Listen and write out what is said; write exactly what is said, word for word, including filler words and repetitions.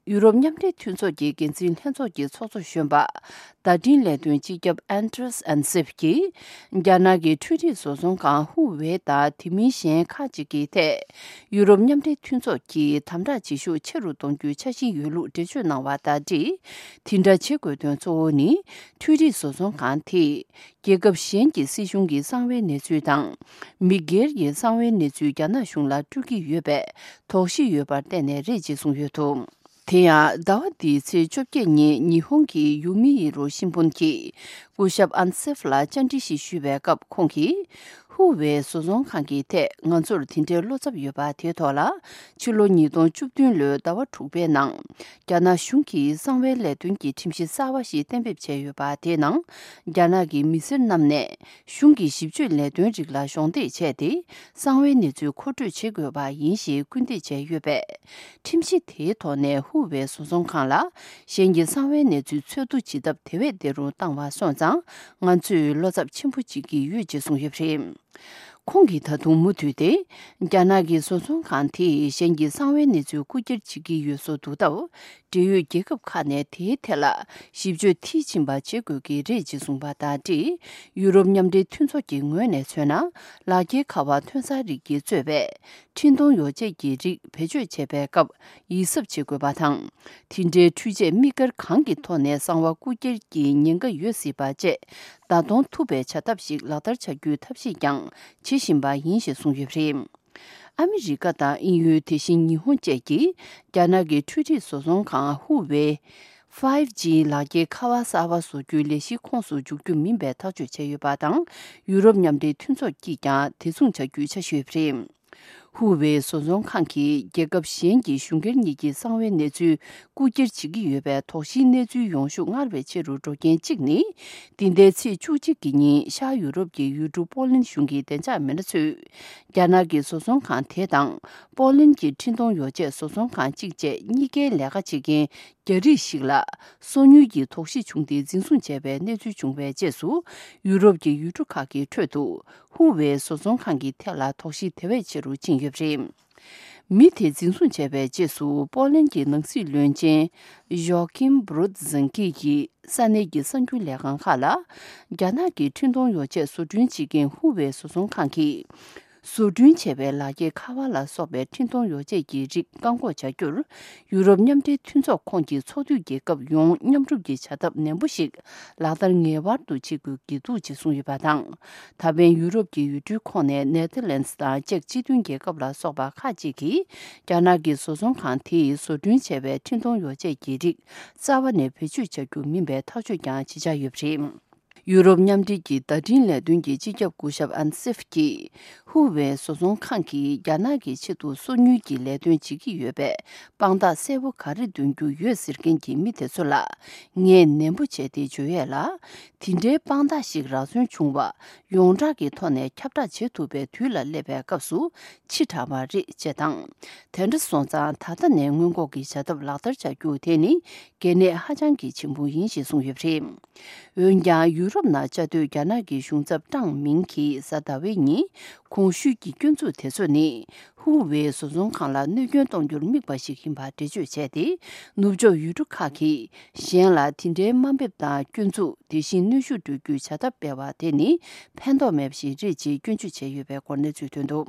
ཡུ་རོབ་མཉམ་འབྲེལ་མཐུན་ཚོགས་ཀྱི་འགན་འཛིན་ལྷན་ཚོགས་ཀྱི་ཚོགས་གཙོ་གཞོན་པ། བརྡ་འཕྲིན་ལས་དོན་སྤྱི་ཁྱབ་Andreas Ansip གྱིས། རྒྱ་ནག་གི་འཕྲུལ་རིག་བཟོ་ཚོང་ཁང་ཧུ་ཝེ་དང་དེ་མིན་གཞན་ཁག་ཅིག་གི་ཐད། ཡུ་རོབ་མཉམ་འབྲེལ་མཐུན་ཚོགས་ཀྱིས་དམ་དྲག་བྱེད་ཤུགས་ཆེ་རུ་གཏོང་རྒྱུའི་འཆར་གཞི་ཡོད་ལུགས་འགྲེལ་བརྗོད་གནང་བ་དང་འབྲེལ། དེ་འདྲ་བྱེད་དགོས་དོན་གཙོ་བོ་ནི། འཕྲུལ་རིག་བཟོ་ཚོང་ཁང་དེས། རྒྱལ་ཁབ་གཞན་གྱི་སྲིད་གཞུང་གི་གསང་བའི་གནས་ཚུལ་དང་། མི་སྒེར་གྱི་གསང་བའི་གནས་ཚུལ་རྒྱ་ནག་གཞུང་ལ་སྤྲོད་ཀྱི་ཡོད་པའི་དོགས་གཞི་ཡོད་པར་བརྟེན་ནས་རེད་ཅེས་གསུངས་ཡོད་འདུག་དེ་ཡང་ཟླ་བ་འདིའི་ཚེས་བཅོ་བརྒྱད་ཉིན་ཉི་ཧོང་གི་ཡུ་མི་ཡི་རོ་新聞གྱིས་སྐུ་ཞབས་ཨན་སེབ་ལ་བཅར་འདྲི་ཞིག་ཞུས་པའི་སྐབས་ཁོང་གིས། ཧུ་ཝེ་བཟོ་ཚོང་ཁང་གི་ཐད་ང་ཚོར་དེ་འདྲའི་བློ་འཚབ་ཡོད་པ་དེའི་ཐོག་ལ། ཕྱི་ལོ་ཉིས་སྟོང་བཅུ་བདུན་ལོའི་ཟླ་བ་དྲུག་པའི་ནང་། རྒྱ་ནག་གཞུང་གིས་གསང་བའི་ལས་དོན་གྱི་ཁྲིམས་གཞི་གསར་བ་ཞིག་གཏན་འབེབས་བྱས་ཡོད་པ་དེའི་ནང་། རྒྱ་ནག་གི་མི་སེར་རྣམས་ནས་གཞུང་གི་ཞིབ་དཔྱོད་ལས་དོན་རིགས་ལ་གཞོགས་འདེགས་བྱས་ཏེ། གསང་བའི་གནས་ཚུལ་མཁོ་སྤྲོད་བྱེད་དགོས་པ་ཡིན་ཞེས་སྐུལ་འདེད་བྱས་ཡོད་པས། ཁྲིམས་གཞི་དེའི་ཐོག་ནས་ཧུ་ཝེ་བཟོ་ཚོང་ཁང་ལ་གཞན་གྱི་གསང་བའི་གནས་ཚུལ་འཚོལ་བསྡུ་བྱེད་ཐབས་དེ་བས་བདེ་རུ་བཏང་བ་སོང་ཙང་། ང་ཚོས་བློ་འཚབ་ཆེན་པོ་བྱེད་ཀྱི་ཡོད་ཅེས་གསུངས་ཡོད་པ་རེད། ཁོང་གིས་ད་དུང་མུ་མཐུད་དེ། རྒྱ་ནག་གི་བཟོ་ཚོང་ཁང་དེས་གཞན་གྱི་གསང་བའི་གནས་ཚུལ་རྐུ་འཁྱེར་བྱེད་ཀྱི་ཡོད་བཟོ་འདུག་སྟབས། འབྲེལ་ཡོད་རྒྱལ་ཁབ་ཁག་ནས་དེའི་ཐད་ལ་ཞིབ་དཔྱོད་མཐིལ་ཕྱིན་པ་བྱེད་དགོས་ཀྱི་རེད་ཅེས་གསུངས་པ་དང་འབྲེལ། ཡུ་རོབ་མཉམ་འབྲེལ་མཐུན་ཚོགས་ཀྱི་ངོས་ནས་མཚོན་ན། ལག་འཁྱེར་ཁ་པར་ཐོན་གསར་རིགས་ཀྱིས་གཙོས་པའི་འཕྲིན་གཏོང་ཡོ་བྱད་ཀྱི་རིགས་བེད་སྤྱོད་བྱེད་པའི་སྐབས་ཡིད་གཟབ་བྱེད་དགོས་པ་དང་། དེ་འདྲའི་འཕྲུལ་ཆས་དམིགས་བཀར་གང་གི་ཐོག་ནས་གསང་བ་རྐུ་འཁྱེར་གྱི་ཉེན་ཁ་ཡོད་སྲིད་པ་བཅས། བརྡ་གཏོང་ཐུབ་པའི་བྱ་ཐབས་ཤིག་ལག་བསྟར་བྱ་རྒྱུའི་ཐབས་ཤེས་ཀྱང་བྱེད་བཞིན་པ་ཡིན་ཞེས་གསུངས་ཡོད་པ་རེད། ཨ་མི་རི་ཀ་དང་དབྱིན་ཡུལ། དེ་བཞིན་ཉི་ཧོང་བཅས་ཀྱིས་རྒྱ་ནག་གི་འཕྲུལ་རིག་བཟོ་ཚོང་ཁང་ཧུ་ཝེ། ཕའིབ་ཇི་ལག་འཁྱེར་ཁ་པར་གསར་པ་བཟོ་རྒྱུའི་ལས་གཞི་ཁོངས་སུ་འཇུག་རྒྱུ་མིན་པའི་ཐག་གཅོད་བྱས་ཡོད་པ་དང་། ཡུ་རོབ་མཉམ་འབྲེལ་མཐུན་ཚོགས་ཀྱིས་ཀྱང་དེ་མཚུངས་བྱ་རྒྱུའི་འཆར་གཞི་ཡོད་པ་རེད། ཧུ་ཝེ་བཟོ་ཚོང་ཁང་གིས་རྒྱལ་ཁབ་གཞན་གྱི་གཞུང་སྒེར་གཉིས་ཀྱི་གསང་བའི་གནས་ཚུལ་རྐུ་འཁྱེར་བྱེད་ཀྱི་ཡོད་པའི་དོགས་གཞིའི་གནས་ཚུལ་ཡོང་ཤུགས་སྔར་བས་ཆེ་རུ་འགྲོ་རྐྱེན་གཅིག་ནི། འདི་ཟླའི་ཚེས་བཅུ་གཅིག་གི་ཉིན་ཤར་ཡུ་རོབ་ཀྱི་ཡུལ་གྲུ་པོ་ལན་གཞུང་གི་བདེ་འཇགས་མི་སྣ་ཚོས། རྒྱ་ནག་གི་བཟོ་ཚོང་ཁང་དེ་དང་། པོ་ལན་གྱི་འཕྲིན་གཏོང་ཡོ་བྱད་བཟོ་ཚོང་ཁང་གཅིག་བཅས་གཉིས་ཀའི་ལས་ཀ་བྱེད་མཁན་རྒྱ་རིགས་ཤིག་ལ། སོ་ཉུལ་གྱི་དོགས་གཞི་བྱུང་སྟེ་འཛིན་བཟུང་བྱས་པའི་གནས་ཚུལ་བྱུང་བའི་རྗེས་སུ། ཡུ་རོབ་ཀྱི་ཡུལ་གྲུ་ཁག་གི་ཁྲོད་དུ། ཧུ་ཝེ་བཟོ་ཚོང་ཁང་གི་ཐད་ལ་དོགས་གཞི་དེ་བས་ཆེ་རུ་ཕྱིན་ཡོད་པ་རེད། མི་དེ་འཛིན་བཟུང་བྱས་པའི་རྗེས་སུ། པོ་ལན་གྱི་ནང་སྲིད་བློན་ཆེན་ཡོ་ཀིམ་བྷུ་རུད་ཛིན་ཀི་ཡིས་ས་གནས་ཀྱི་གསར་འགྱུར་ལས་ཁང་ཁག་ལ། རྒྱ་ནག་གི་འཕྲིན་གཏོང་ཡོ་བྱད་བཟོ་སྐྲུན་བྱེད་མཁན་ཧུ་ཝེ་བཟོ་ཚོང་ཁང་གིས། བཟོ་སྐྲུན་བྱས་པའི་ལག་འཁྱེར་ཁ་པར་ལ་སོགས་པའི་འཕྲིན་གཏོང་ཡོ་བྱད་ཀྱི་རིགས་བཀག་འགོག་བྱ་རྒྱུར། ཡུ་རོབ་མཉམ་འབྲེལ་མཐུན་ཚོགས་ཁོངས་ཀྱི་ཚོགས་འཐུས་རྒྱལ་ཁབ་ཡོངས་མཉམ་རུབ་ཀྱི་བྱ་ཐབས་ནན་པོ་ཞིག་ལག་བསྟར་ངེས་པར་དུ་བྱེད་དགོས་ཀྱི་འདུག་ཅེས་གསུངས་ཡོད་པ་དང་། ད་ཕན་ཡུ་རོབ་ཀྱི་ཡུལ་གྲུའི་ཁོངས་ནས་ནེ་ཐར་ལན་སི་དང་ཅེཀ་སྤྱི་མཐུན་རྒྱལ་ཁབ་ལ་སོགས་པ་ཁག་ཅིག་གིས། རྒྱ་ནག་གི་བཟོ་ཚོང་ཁང་དེས་བཟོ་སྐྲུན་བྱས་པའི་འཕྲིན་གཏོང་ཡོ་བྱད་ཀྱི་རིགས་རྩ་བ་ནས་བེད་སྤྱོད་བྱ་རྒྱུ་མིན་པའི་ཐག་གཅོད་ཀྱང་བྱེད་འཆར་ཡོད་པ་རེད། ཡུ་རོབ་མཉམ་འབྲེལ་གྱི་བརྡ་འཕྲིན་ལས་དོན་གྱི་སྤྱི་ཁྱབ་སྐུ་ཞབས་ཨན་སིབ་ཀྱིས། ཧུ་ཝེ་བཟོ་ཚོང་ཁང་གིས་རྒྱ་ནག་གི་ཆེད་དུ་སོ་ཉུལ་གྱི་ལས་དོན་བྱེད་ཀྱི་ཡོད་པའི་དཔང་རྟགས་གསལ་པོ་ག་རེ་འདོན་རྒྱུ་ཡོད་ཟེར་མཁན་གྱི་མི་དེ་ཚོ་ལ། ངས་ནན་པོ་བྱས་ཏེ་བརྗོད་ཡས་ལ། དེ་འདྲའི་དཔང་རྟགས་ཤིག་རག་སོན་བྱུང་བ། ཡོངས་གྲགས་ཀྱི་ཐོག་ནས་ཁྱབ་བསྒྲགས་བྱེད་ཐུབ་པའི་དུས་ལ་སླེབས་པའི་སྐབས་སུ། ཕྱི་དྲགས་པ་རེད་ཅེས་དང་། དེ་འདྲ་སོང་ཙང་ད་ལྟ་ནས་སྔོན་འགོག་གི་བྱ་ཐབས་ལག་བསྟར་བྱ་རྒྱུ་དེ་ནི་གལ་གནད་ཧ་ཅང་གི་ཆེན་པོ་ཡིན་ཞེས་གསུངས་ཡོད་པ་རེད། འོན་ཀྱང་། ཡུ་རོབ་ནང་བཅའ་སྡོད་རྒྱ་ནག་གི་གཞུང་ཚབ་ཀྲང་མིང་གིས་གཟའ་ཟླ་བའི་ཉིན་གོང་ཞུས་ཀྱི་སྐྱོན་འཛུགས་དེ་ཚོ་ནི། ཧུ་ཝེ་བཟོ་ཚོང་ཁང་ལ་གནོད་སྐྱོན་གཏོང་རྒྱུར་དམིགས་པ་ཞིག་ཡིན་པ་འགྲེལ་བརྗོད་བྱས་ཏེ། ནུབ་ཕྱོགས་ཡུལ་གྲུ་ཁག་གིས་གཞན་ལ་དེ་འདྲའི་དམའ་འབེབས་དང་སྐྱོན་འཛུགས། དེ་བཞིན་གནོན་ཤུགས་སྤྲོད་རྒྱུའི་བྱ་ཐབས་སྤེལ་བ་དེ་ནི་ཕན་ཐོགས་མེད་པ་ཞིག་རེད་ཅེས་སྐྱོན་བརྗོད་བྱས་ཡོད་པའི་སྐོར་གནས་ཚུལ་ཐོན་འདུག